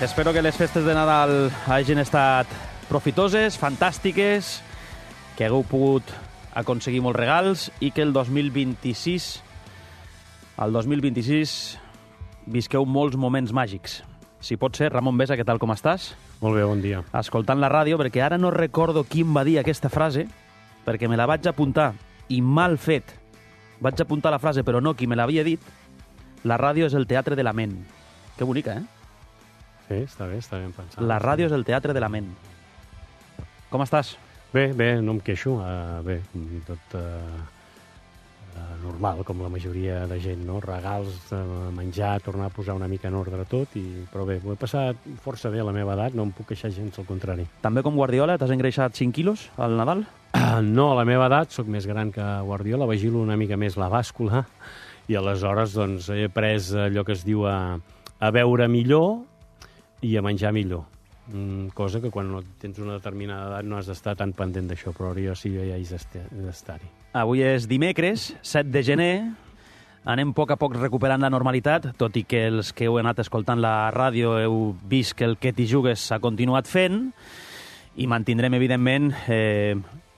Espero que les festes de Nadal hagin estat profitoses, fantàstiques, que hagueu pogut aconseguir molts regals i que el 2026 visqueu molts moments màgics. Si pot ser, Ramon Besa, què tal, com estàs? Molt bé, bon dia. Escoltant la ràdio, perquè ara no recordo qui em va dir aquesta frase, perquè me la vaig apuntar, i mal fet. Vaig apuntar la frase, però no qui me l'havia dit. La ràdio és el teatre de la ment. Que bonica, eh? Sí, està ben pensat. La ràdio és el teatre de la ment. Com estàs? Bé, no em queixo. Bé, tot normal, com la majoria de gent, no? Regals, menjar, tornar a posar una mica en ordre tot, però bé, ho he passat força bé a la meva edat, no em puc queixar gens, al contrari. També com Guardiola, t'has engreixat 5 quilos al Nadal? No, a la meva edat, sóc més gran que Guardiola, vigilo una mica més la bàscula, i aleshores doncs, he après allò que es diu a beure millor i a menjar millor. Cosa que quan no tens una determinada edat no has d'estar tan pendent d'això, però ara jo sí ja hi d'estar-hi. Avui és dimecres, 7 de gener. Anem a poc recuperant la normalitat, tot i que els que heu anat escoltant la ràdio heu vist que el que t'hi jugues s'ha continuat fent, i mantindrem, evidentment,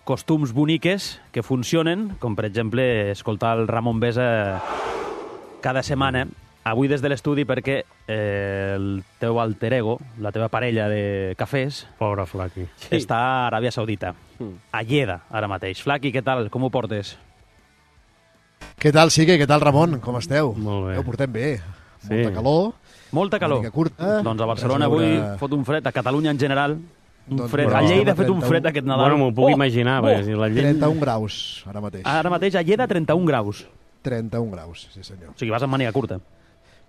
costums boniques que funcionen, com per exemple escoltar el Ramon Besa cada setmana. Avui des de l'estudi perquè el teu alter ego, la teva parella de cafès, Pobre Flaqui. està a Aràbia Saudita, a Lleida, ara mateix. Flaqui, què tal? Com ho portes? Què tal, Sique? Què tal, Ramon? Com esteu? Molt bé. Ho portem bé. Sí. Molta calor. Molta calor. Una mica curta. Doncs a Barcelona avui fot un fred, a Catalunya en general, un Doncs fred. bueno, A Lleida ha fet un 31. fred aquest Nadal. Bueno, m'ho puc imaginar, perquè si la gent... 31 graus, ara mateix. Ara mateix a Lleida 31 graus. 31 graus, sí senyor. O sigui, vas amb màniga curta.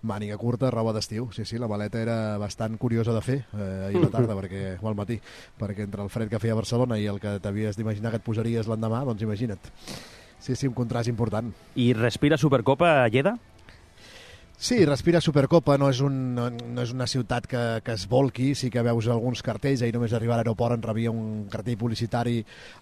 Màniga curta, roba d'estiu. Sí, la maleta era bastant curiosa de fer ahir a la tarda, o al matí, perquè entre el fred que feia a Barcelona i el que t'havies d'imaginar que et posaries l'endemà, doncs imagina't. Sí, un contrast important. I respira Supercopa a Lleida? Sí, respira Supercopa, no és una ciutat que es volqui, sí que veus alguns cartells, ahir només arribar a l'aeroport en rebia un cartell publicitari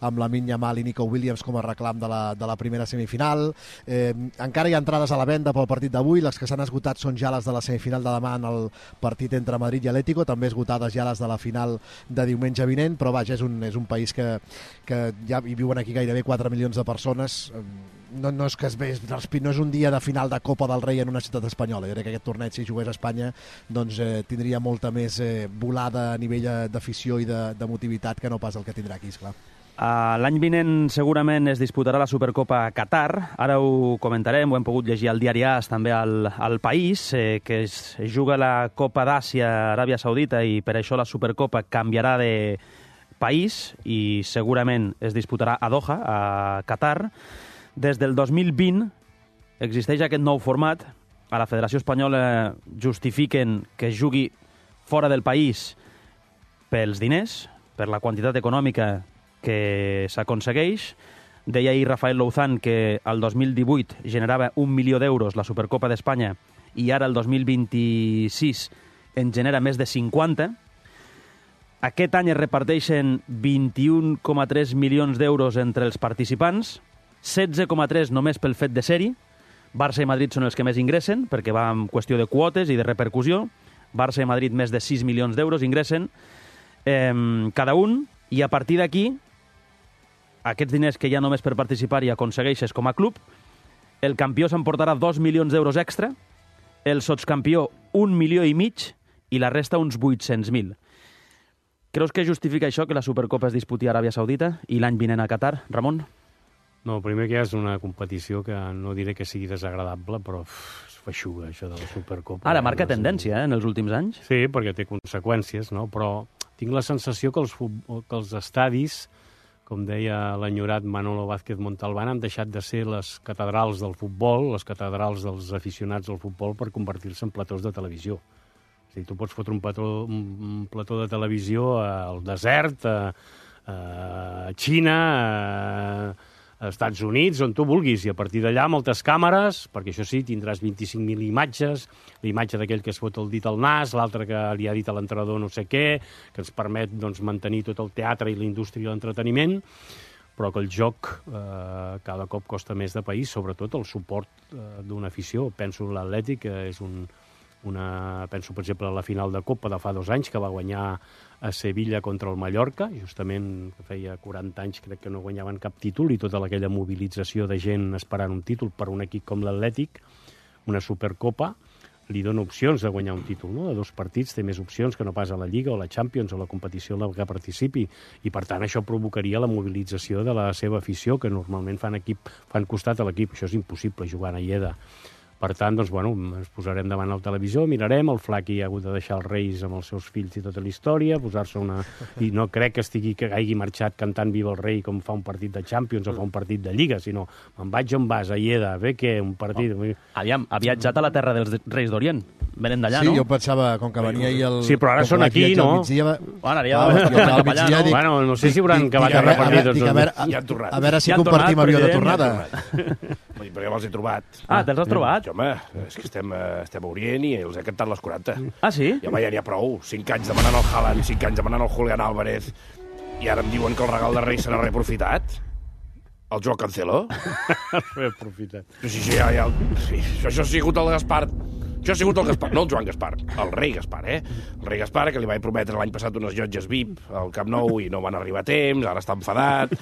amb Lamine Yamal i Nico Williams com a reclam de la primera semifinal. Encara hi ha entrades a la venda pel partit d'avui, les que s'han esgotat són ja les de la semifinal de demà en el partit entre Madrid i Atlético, també esgotades ja les de la final de diumenge vinent, però vaja, és un país que ja hi viuen aquí gairebé 4 milions de persones. No és que no és un dia de final de Copa del Rei en una ciutat espanyola. Jo crec que aquest torneig, si jugués a Espanya, doncs tindria molta més volada a nivell d'afició i de motivitat que no pas el que tindrà aquí, esclar. L'any vinent segurament es disputarà la Supercopa a Qatar. Ara ho comentarem, ho hem pogut llegir al diari AS, també al País, que es juga la Copa d'Àsia a Aràbia Saudita i per això la Supercopa canviarà de país i segurament es disputarà a Doha, a Qatar. Des del 2020 existeix aquest nou format. A la Federació Espanyola justifiquen que es jugui fora del país pels diners, per la quantitat econòmica que s'aconsegueix. Deia ahir Rafael Louzán que el 2018 generava 1 milió d'euros la Supercopa d'Espanya i ara el 2026 en genera més de 50. Aquest any es reparteixen 21,3 milions d'euros entre els participants, 16,3 només pel fet de ser-hi. Barça i Madrid són els que més ingressen, perquè va en qüestió de quotes i de repercussió. Barça i Madrid més de 6 milions d'euros ingressen cada un, i a partir d'aquí, aquests diners que ja només per participar hi aconsegueixes com a club, el campió s'emportarà 2 milions d'euros extra, el sotscampió 1,5 milions i la resta uns 800.000. Creus que justifica això que la Supercopa es disputi a Aràbia Saudita i l'any vinent a Qatar, Ramon? No, primer que és una competició que no diré que sigui desagradable, però és feixuga, això de la Supercopa. Ara marca tendència, en els últims anys. Sí, perquè té conseqüències, no? Però tinc la sensació que els estadis, com deia l'enyorat Manolo Vázquez Montalbán, han deixat de ser les catedrals del futbol, les catedrals dels aficionats al futbol, per convertir-se en platós de televisió. És a dir, tu pots fotre un plató de televisió al desert, a Xina, als Estats Units, on tu vulguis, i a partir d'allà moltes càmeres, perquè això sí, tindràs 25.000 imatges, l'imatge d'aquell que es fot el dit al nas, l'altre que li ha dit a l'entrenador no sé què, que ens permet mantenir tot el teatre i la indústria i l'entreteniment, però que el joc cada cop costa més de país, sobretot el suport d'una afició. Penso en l'Atlètic, que és un penso, per exemple, a la final de Copa de fa 2 anys, que va guanyar a Sevilla contra el Mallorca, justament que feia 40 anys crec que no guanyaven cap títol, i tota aquella mobilització de gent esperant un títol per un equip com l'Atlètic, una Supercopa, li dona opcions de guanyar un títol, no? De 2 partits té més opcions que no pas a la Lliga o la Champions o la competició en la que participi, i per tant això provocaria la mobilització de la seva afició, que normalment fan costat a l'equip. Això és impossible jugar a Lleida. Per tant, doncs, bueno, ens posarem davant el televisor, mirarem, el Flaqui ha hagut de deixar els Reis amb els seus fills i tota la història, posar-se una... I no crec que hagi marxat cantant Viva el Rei com fa un partit de Champions o fa un partit de Lliga, sinó me'n vaig on vas, a Lleida, bé que un partit... Oh. Aviam, ha viatjat a la terra dels Reis d'Orient, venen d'allà, sí, no? Sí, jo pensava, com que venia ahir el... Sí, però ara són aquí, no? Bueno, no sé si hauran acabat de repartir tots els... A veure si compartim avió de tornada. Perquè me'ls he trobat. Ah, te'ls has trobat? Home, és que estem a Orient i els he cantat les 40. Ah, sí? I home, ja n'hi ha prou. 5 anys demanant el Haaland, 5 anys demanant el Julián Álvarez, i ara em diuen que el regal de Reis serà reaprofitat. El Joao Cancelo? Reaprofitat. Sí, això ha sigut el Gaspar. Això ha sigut el Gaspar, no el Joan Gaspar, el rei Gaspar, eh? El rei Gaspar, que li vaig prometre l'any passat unes llotges VIP al Camp Nou i no van arribar a temps, ara està enfadat.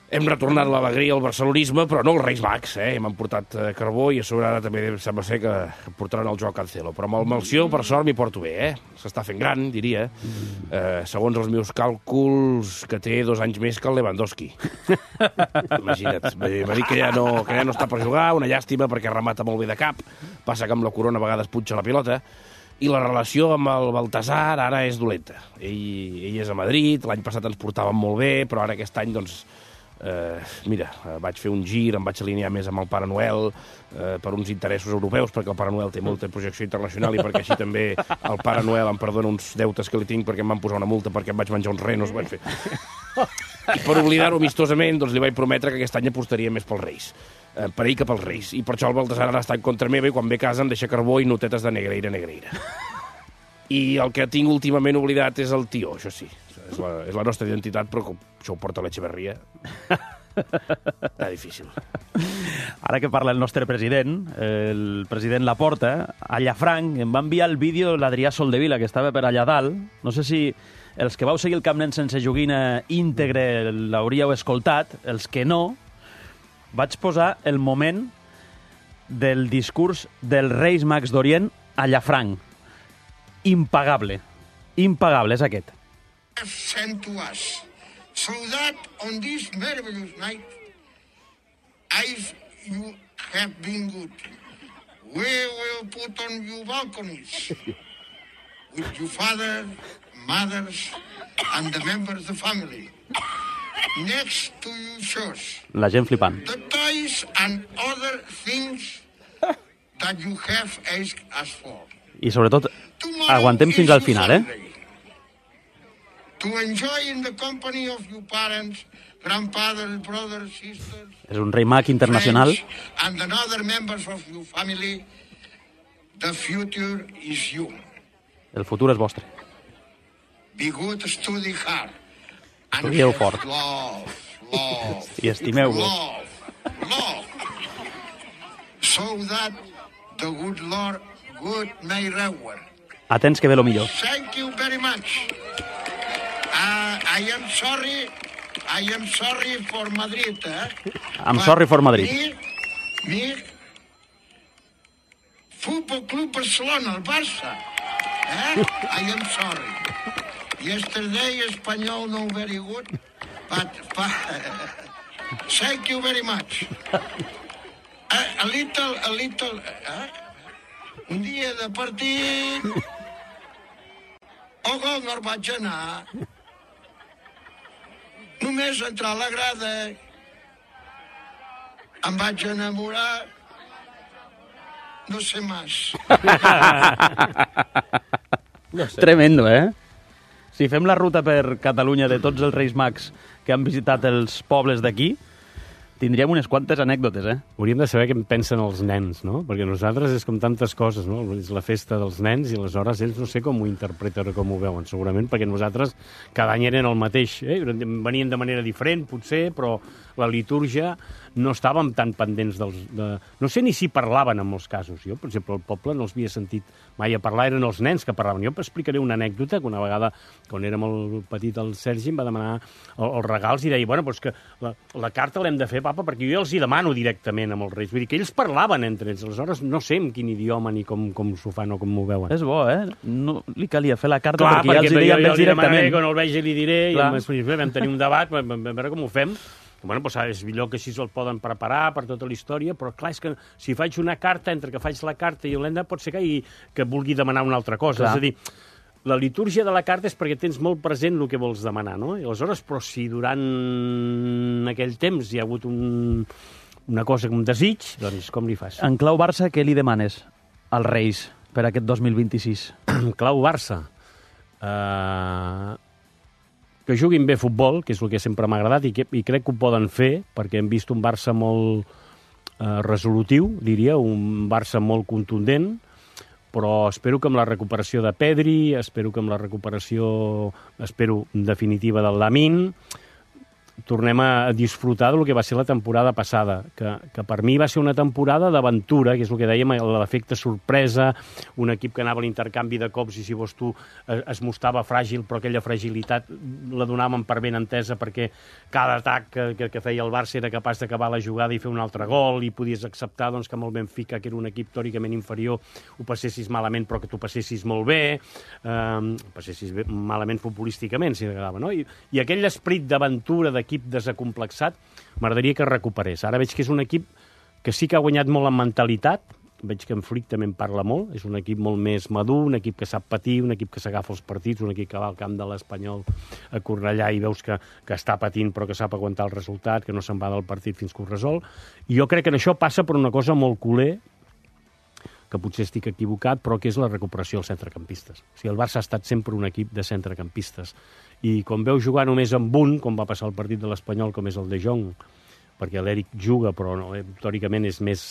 Hem retornat l'alegria al barcelonisme, però no els Reis Mags, eh? M'han portat carbó i a sobre ara també sembla ser que portaran el Joao Cancelo. Però amb el Melcior, per sort, m'hi porto bé, eh? S'està fent gran, diria. Segons els meus càlculs, que té 2 anys més que el Lewandowski. Imagina't. M'ha dit que ja no està per jugar, una llàstima perquè remata molt bé de cap. Passa que amb la corona a vegades punxa la pilota. I la relació amb el Baltasar ara és dolenta. Ell és a Madrid, l'any passat ens portàvem molt bé, però ara aquest any, doncs, mira, vaig fer un gir, em vaig alinear més amb el Pare Noel per uns interessos europeus, perquè el Pare Noel té molta projecció internacional i perquè així també el Pare Noel em perdona uns deutes que li tinc perquè em van posar una multa perquè em vaig menjar uns renos. I per oblidar-ho amistosament, doncs li vaig prometre que aquest any apostaria més pels Reis, per ell que pels Reis, i per això el Baltasar ara està en contra meva i quan ve a casa em deixa carbó i notetes de Negreira. I el que tinc últimament oblidat és el tió, això sí. És la nostra identitat, però com això ho porta l'Echeverria, està difícil. Ara que parla el nostre president, el president Laporta, a Llafranc em va enviar el vídeo l'Adrià Soldevila, que estava per allà dalt. No sé si els que vau seguir el Camp Nen sense joguina íntegre l'hauríeu escoltat, els que no, vaig posar el moment del discurs dels Reis Mags d'Orient a Llafranc. Impagable. Impagable, és aquest. Sent to us, so that on this marvelous night, you have been good. We will put on your balconies with your father, mothers, and the members of the family. Next to your shows. La gent flipant. The toys and other things that you have asked us for. I sobretot, aguantem fins al final, To enjoy in the company of your parents, grandfathers, brothers, sisters, és un rei mag internacional. And other members of your family, the future is you. El futur és vostre. Be good, study hard. Estudieu fort. Love. I estimeu-vos. Love. So that the good Lord may reward. Atents que ve lo millor. Thank you very much. I am sorry for Madrid, I'm sorry for Madrid. Me, Fútbol Club Barcelona, el Barça. I am sorry. Yesterday, Espanyol no very good, but thank you very much. A little, un dia de partit, el gol no el vaig anar. Només entrar a la grada em vaig enamorar, no sé més. Tremendo, Si fem la ruta per Catalunya de tots els Reis Mags que han visitat els pobles d'aquí, tindríem unes quantes anècdotes, Hauríem de saber què en pensen els nens, no? Perquè nosaltres és com tantes coses, no? És la festa dels nens i aleshores ells no sé com ho interpreten o com ho veuen, segurament, perquè nosaltres cada any eren el mateix, Venien de manera diferent, potser, però la litúrgia no estàvem tan pendents no sé ni si parlaven en molts casos. Jo, per exemple, al poble no els havia sentit mai a parlar, eren els nens que parlaven. Jo explicaré una anècdota que una vegada, quan era molt petit, el Sergi em va demanar els regals i deia, bueno, doncs que la carta l'hem de fer, papa, perquè jo els hi demano directament amb els Reis. Vull dir que ells parlaven entre ells. Aleshores, no sé en quin idioma ni com s'ho fan o com m'ho veuen. És bo, No li calia fer la carta perquè ja els hi deia més directament. Quan el vegi li diré, i vam tenir un debat, vam veure com ho fem. Bueno, doncs és millor que així el poden preparar per tota la història, però clar, és que si faig una carta, entre que faig la carta i l'enda, pot ser que vulgui demanar una altra cosa. Clar. És a dir, la litúrgia de la carta és perquè tens molt present el que vols demanar, no? I aleshores, però si durant aquell temps hi ha hagut una cosa, un desig, doncs com li fas? En clau Barça, què li demanes als Reis per aquest 2026? En clau Barça? Que juguin bé futbol, que és el que sempre m'ha agradat, i crec que ho poden fer, perquè hem vist un Barça molt resolutiu, diria, un Barça molt contundent, però espero que amb la recuperació de Pedri, espero que amb la recuperació, definitiva del Lamine, tornem a disfrutar del que va ser la temporada passada, que per mi va ser una temporada d'aventura, que és el que dèiem, l'efecte sorpresa, un equip que anava a l'intercanvi de cops i, si vols tu, es mostrava fràgil, però aquella fragilitat la donàvem per ben entesa perquè cada atac que feia el Barça era capaç d'acabar la jugada i fer un altre gol, i podies acceptar doncs, que amb el Benfica, que era un equip teòricament inferior, ho passessis malament, però que tu passessis molt bé, passessis malament futbolísticament, si t'agradava, no? I aquell esperit d'aventura, d'equip desacomplexat, m'agradaria que recuperés. Ara veig que és un equip que sí que ha guanyat molt en mentalitat, veig que en Flick també en parla molt, és un equip molt més madur, un equip que sap patir, un equip que s'agafa els partits, un equip que va al camp de l'Espanyol a Cornellà i veus que està patint però que sap aguantar el resultat, que no se'n va del partit fins que ho resol. I jo crec que això passa per una cosa molt culer, que potser estic equivocat, però que és la recuperació dels centrecampistes. O sigui, el Barça ha estat sempre un equip de centrecampistes. I quan veu jugar només amb un, com va passar el partit de l'Espanyol, com és el de Jong, perquè l'Eric juga, però no, teòricament és més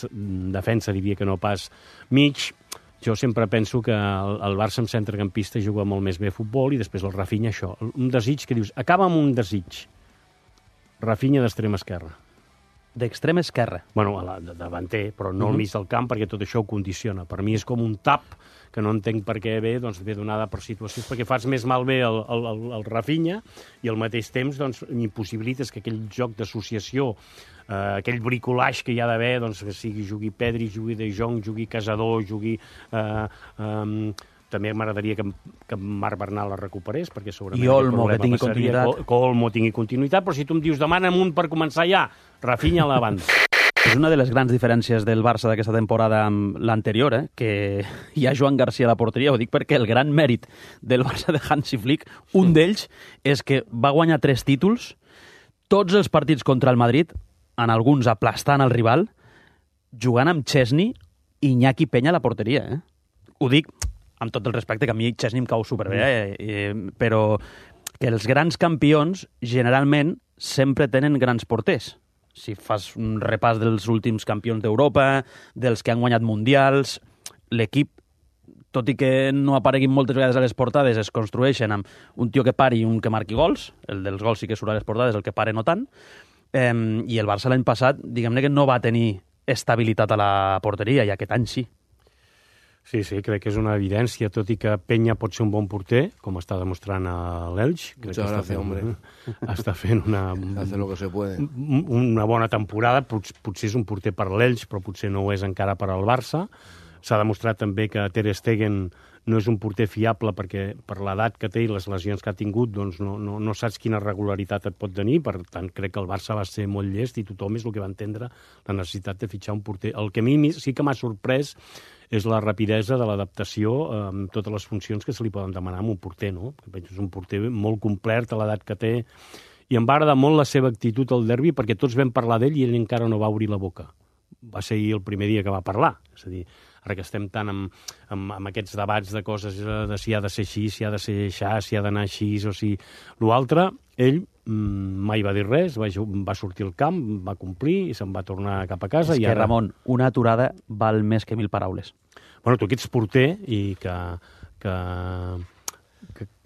defensa, diria que no pas mig, jo sempre penso que el Barça amb centrecampista juga molt més bé a futbol i després el Rafinha, això. Un desig que dius, acaba amb un desig. Rafinha d'extrema esquerra. D'extrema esquerra. Bueno, davanter, però no al mig del camp, perquè tot això ho condiciona. Per mi és com un tap, que no entenc per què ve, doncs ve donada per situacions, perquè fas més malbé el Rafinha i al mateix temps doncs, impossibilites que aquell joc d'associació, aquell bricolage que hi ha d'haver, doncs, que jugui Pedri, jugui De Jong, jugui Casador, jugui... També m'agradaria que Marc Bernal la recuperés, perquè segurament... I Olmo, que tingui continuïtat. Que Olmo tingui continuïtat, però si tu em dius demana'm un per començar ja, Rafinha a la banda. És una de les grans diferències del Barça d'aquesta temporada amb l'anterior, que hi ha Joan Garcia a la porteria. Ho dic perquè el gran mèrit del Barça de Hansi Flick, un d'ells, és que va guanyar 3 títols, tots els partits contra el Madrid, en alguns aplastant el rival, jugant amb Chesney i Iñaki Peña a la porteria. Ho dic amb tot el respecte, que a mi Chesney em cau superbé, però que els grans campions generalment sempre tenen grans porters. Si fas un repàs dels últims campions d'Europa, dels que han guanyat mundials, l'equip, tot i que no apareguin moltes vegades a les portades, es construeixen amb un tio que pari i un que marqui gols, el dels gols sí que surt a les portades, el que pare no tant, i el Barça l'any passat, diguem-ne que no va tenir estabilitat a la porteria, i aquest any sí. Sí, crec que és una evidència, tot i que Peña pot ser un bon porter, com està demostrant a l'Elx. Muchas gracias, hombre. Està fent Hace lo que se puede. Una bona temporada, potser és un porter per l'Elx, però potser no ho és encara per al Barça. S'ha demostrat també que Ter Stegen no és un porter fiable perquè per l'edat que té i les lesions que ha tingut doncs no saps quina regularitat et pot tenir, per tant crec que el Barça va ser molt llest i tothom és el que va entendre la necessitat de fitxar un porter. El que a mi sí que m'ha sorprès és la rapidesa de l'adaptació amb totes les funcions que se li poden demanar a un porter, no? És un porter molt complet a l'edat que té, i em va agradar molt la seva actitud al derbi perquè tots vam parlar d'ell i ell encara no va obrir la boca. Va ser el primer dia que va parlar, és a dir, ara que estem tant amb aquests debats de coses de si ha de ser així, si ha de ser així, si ha d'anar així o si... L'altre, ell mai va dir res, va sortir al camp, va complir i se'n va tornar cap a casa. És que, Ramon, una aturada val més que 1000 paraules. Bueno, tu que ets porter i que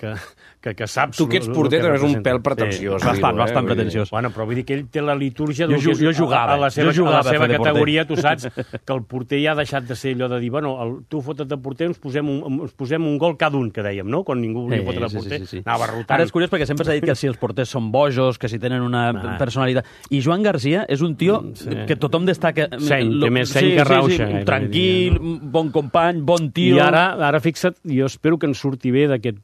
que saps... Tu que ets porter també és un pèl pretensiós. Bastant pretensiós. Bueno, però vull dir que ell té la litúrgia... Jo jugava. A la seva categoria, tu saps que el porter ja ha deixat de ser allò de dir, bueno, tu fota't de porter, ens posem un gol cada un, que dèiem, no? Quan ningú volia fotre de porter, anava rotant. Ara és curiós perquè sempre s'ha dit que si els porters són bojos, que si tenen una personalitat... I Joan Garcia és un tio que tothom destaca... Seny, té més seny que rauxa. Tranquil, bon company, bon tio... I ara fixa't, jo espero que ens surti bé d'aquest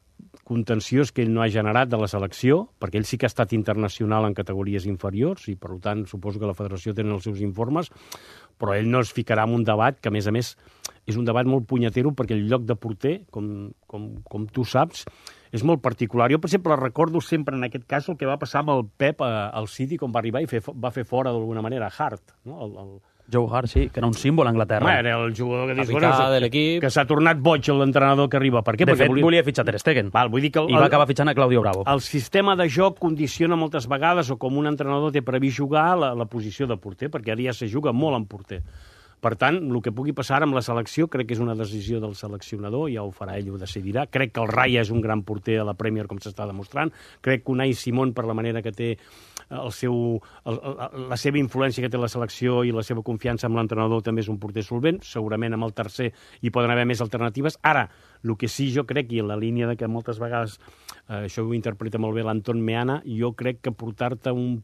contenciós que ell no ha generat de la selecció, perquè ell sí que ha estat internacional en categories inferiors i, per tant, suposo que la federació té els seus informes, però ell no es ficarà en un debat que, a més, és un debat molt punyetero perquè el lloc de porter, com tu saps, és molt particular. Jo, per exemple, recordo sempre en aquest cas el que va passar amb el Pep al City quan va arribar i va fer fora d'alguna manera Hart, no? Joe Hart, sí, que era un símbol a Anglaterra. Era el jugador que dius, de l'equip, que s'ha tornat boig l'entrenador que arriba. Per què? De fet, volia fitxar Ter Stegen. Vull dir que I va acabar fitxant a Claudio Bravo. El sistema de joc condiciona moltes vegades, o com un entrenador té previst jugar, la posició de porter, perquè ara ja se juga molt en porter. Per tant, el que pugui passar amb la selecció crec que és una decisió del seleccionador, ja ho farà ell, ho decidirà. Crec que el Raya és un gran porter a la Premier, com s'està demostrant. Crec que Unai Simón, per la manera que té la seva influència que té la selecció i la seva confiança amb l'entrenador, també és un porter solvent. Segurament amb el tercer hi poden haver més alternatives. Ara, el que sí jo crec, i en la línia de que moltes vegades això ho interpreta molt bé l'Anton Meana, jo crec que portar-te un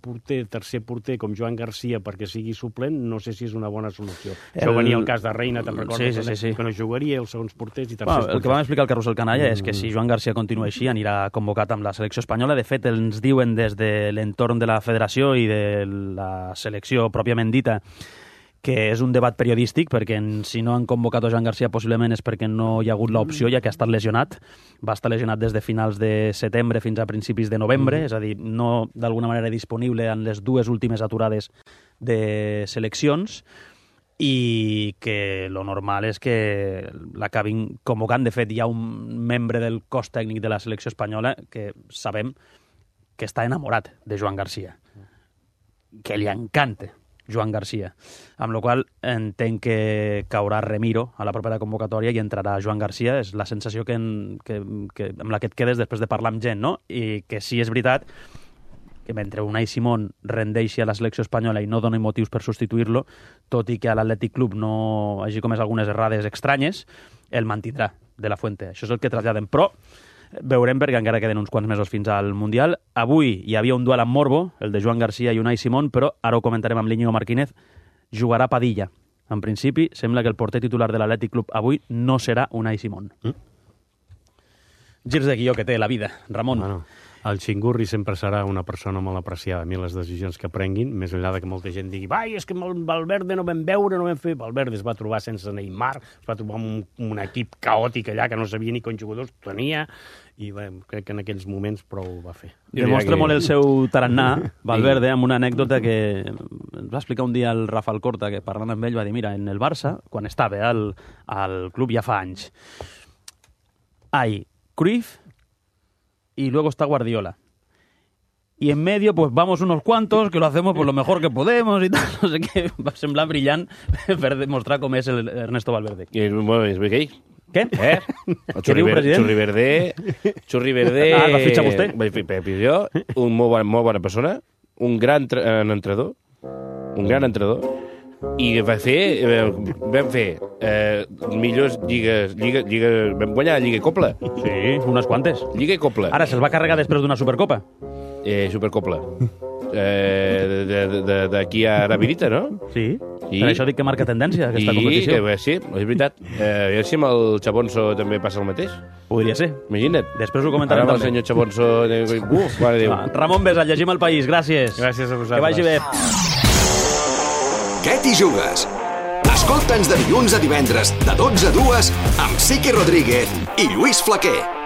tercer porter com Joan Garcia perquè sigui suplent, no sé si és una bona solució. Això venia el cas de Reina, te'n recordes? Sí. Que no jugaria, els segons porters i tercers porters. El que vam explicar al Carrusel Canalla és que si Joan Garcia continua així anirà convocat amb la selecció espanyola. De fet, ens diuen des de l'entorn de la federació i de la selecció pròpiament dita que és un debat periodístic, perquè si no han convocat a Joan Garcia possiblement és perquè no hi ha hagut l'opció, ja que ha estat lesionat. Va estar lesionat des de finals de setembre fins a principis de novembre, és a dir, no d'alguna manera disponible en les dues últimes aturades de seleccions, i que lo normal és que l'acabin convocant. De fet, hi ha un membre del cos tècnic de la selecció espanyola que sabem que està enamorat de Joan Garcia, que li encanta Joan Garcia, amb la qual entenc que caurà Remiro a la propera convocatòria i entrarà Joan Garcia. És la sensació amb la que et quedes després de parlar amb gent, no? I que sí és veritat que mentre Unai Simón rendeixi a la selecció espanyola i no doni motius per substituir-lo, tot i que a l'Atlètic Club no hagi comès algunes errades estranyes, el mantindrà de la Fuente. Això és el que traslladen. Però veurem, perquè encara queden uns quants mesos fins al Mundial. Avui hi havia un duel amb morbo, el de Joan Garcia i Unai Simón, però ara ho comentarem amb l'Íñigo Martínez. Jugarà Padilla. En principi, sembla que el porter titular de l'Atlètic Club avui no serà Unai Simón. Girs de guió que té la vida, Ramon. Bueno, el Xingurri sempre serà una persona molt apreciada. A mi les decisions que prenguin, més enllà que molta gent digui és que amb Valverde no vam veure, no vam fer... Valverde es va trobar sense Neymar, es va trobar amb un equip caòtic allà que no sabia ni quants jugadors tenia, i crec que en aquells moments prou va fer. Demostra molt el seu tarannà, Valverde, amb una anècdota que ens va explicar un dia el Rafa Alcorta, que parlant amb ell va dir, mira, en el Barça, quan estava al club ja fa anys, Cruyff y luego está Guardiola. Y en medio, pues vamos unos cuantos que lo hacemos pues lo mejor que podemos y tal, no sé què. Va semblar brillant per demostrar com és el Ernesto Valverde. I és bé que ell. Què? El Què diu, president? Xurri Verde... el va fitxar vostè? Va fitxar jo, un molt bona persona, un gran entrenador, i vam fer millors lligues, vam guanyar Lliga i Copla. Sí, unes quantes. Lliga i Copla. Ara se'l va carregar després d'una Supercopa. Supercopla. D'aquí a Arabirita, no? Sí, per això dic que marca tendència aquesta competició. Sí, és veritat. A veure si amb el Chabonso també passa el mateix. Podria ser. Imagina't. Després ho comentarem també. també. El senyor Chabonso... mare Déu. Ramon Besa, llegim El País. Gràcies. Gràcies a vosaltres. Que vagi bé. Què t'hi jugues? Escolta'ns de dilluns a divendres, de 12 a 2, amb Siqui Rodríguez i Lluís Flaquer.